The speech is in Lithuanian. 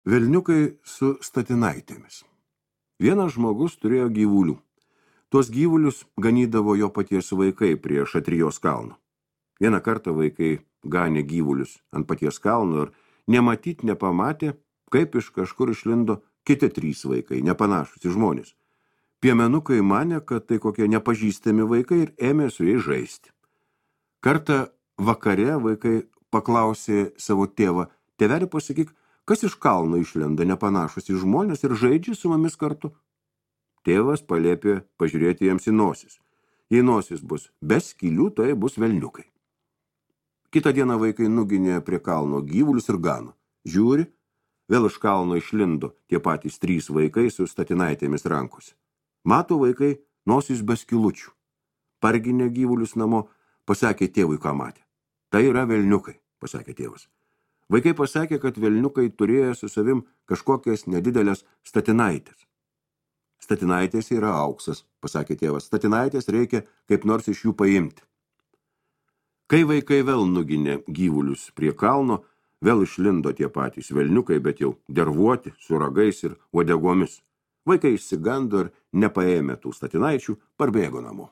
Velniukai su statinaitėmis. Vienas žmogus turėjo gyvulių. Tuos gyvulius ganydavo jo paties vaikai prie Šatrijos kalno. Vieną kartą vaikai ganė gyvulius ant paties kalno ir nematyt nepamatė, kaip iš kažkur išlindo kiti 3 vaikai, nepanašus į žmonės. Piemenukai manė, kad tai kokie nepažįstami vaikai ir ėmė su jais žaisti. Kartą vakare vaikai paklausė savo tėvą: tėveli, pasakyk, kas iš kalno išlenda nepanašus į žmonės ir žaidžia su mumis kartu? Tėvas paliepė pažiūrėti jiems į nosis. Jei nosis bus be skylių, tai bus velniukai. Kitą dieną vaikai nuginė prie kalno gyvulius ir gano. Žiūri, vėl iš kalno išlindo tie patys 3 vaikai su statinaitėmis rankose. Mato vaikai nosis be skylučių. Parginė gyvulius namo, pasakė tėvui, ką matė. Tai yra velniukai, pasakė tėvas. Vaikai pasakė, kad velniukai turėjo su savim kažkokias nedidelės statinaitės. Statinaitės yra auksas, pasakė tėvas. Statinaitės reikia kaip nors iš jų paimti. Kai vaikai vėl nuginė gyvulius prie kalno, vėl išlindo tie patys velniukai, bet jau dervuoti, su ragais ir uodegomis. Vaikai išsigando ir nepaėmė tų statinaičių, parbėgo namo.